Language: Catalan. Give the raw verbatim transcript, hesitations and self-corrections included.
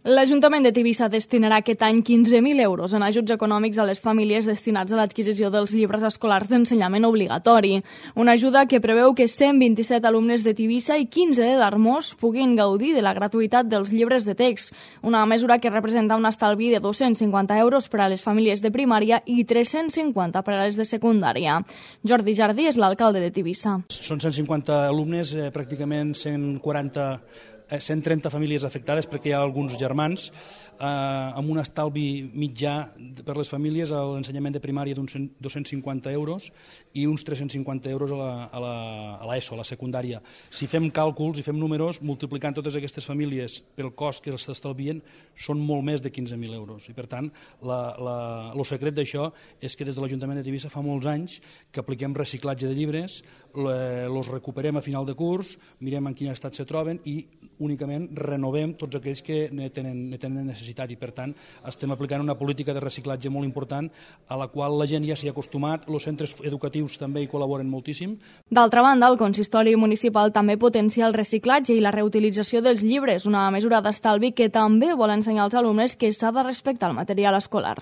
L'Ajuntament de Tivissa destinarà aquest any quinze mil euros en ajuts econòmics a les famílies destinats a l'adquisició dels llibres escolars d'ensenyament obligatori. Una ajuda que preveu que cent vint-i-set alumnes de Tivissa i quinze de d'Armós puguin gaudir de la gratuïtat dels llibres de text, una mesura que representa un estalvi de dos-cents cinquanta euros per a les famílies de primària i tres-cents cinquanta per a les de secundària. Jordi Jardí és l'alcalde de Tivissa. Són cent cinquanta alumnes, eh, pràcticament cent quaranta cent trenta famílies afectades perquè hi ha alguns germans, eh, amb un estalvi mitjà per les famílies a l'ensenyament de primària d'uns dos-cents cinquanta euros i uns tres-cents cinquanta euros a la, a la, a l'ESO, a la secundària. Si fem càlculs i fem números, multiplicant totes aquestes famílies pel cost que els estalvien, són molt més de quinze mil euros. I per tant, la, la, el secret d'això és que des de l'Ajuntament de Tivissa fa molts anys que apliquem reciclatge de llibres, els recuperem a final de curs, mirem en quin estat se troben i únicament renovem tots aquells que ne tenen, ne tenen necessitat i per tant estem aplicant una política de reciclatge molt important a la qual la gent ja s'hi ha acostumat, els centres educatius també hi col·laboren moltíssim. D'altra banda, el consistori municipal també potencia el reciclatge i la reutilització dels llibres, una mesura d'estalvi que també vol ensenyar als alumnes que s'ha de respectar el material escolar.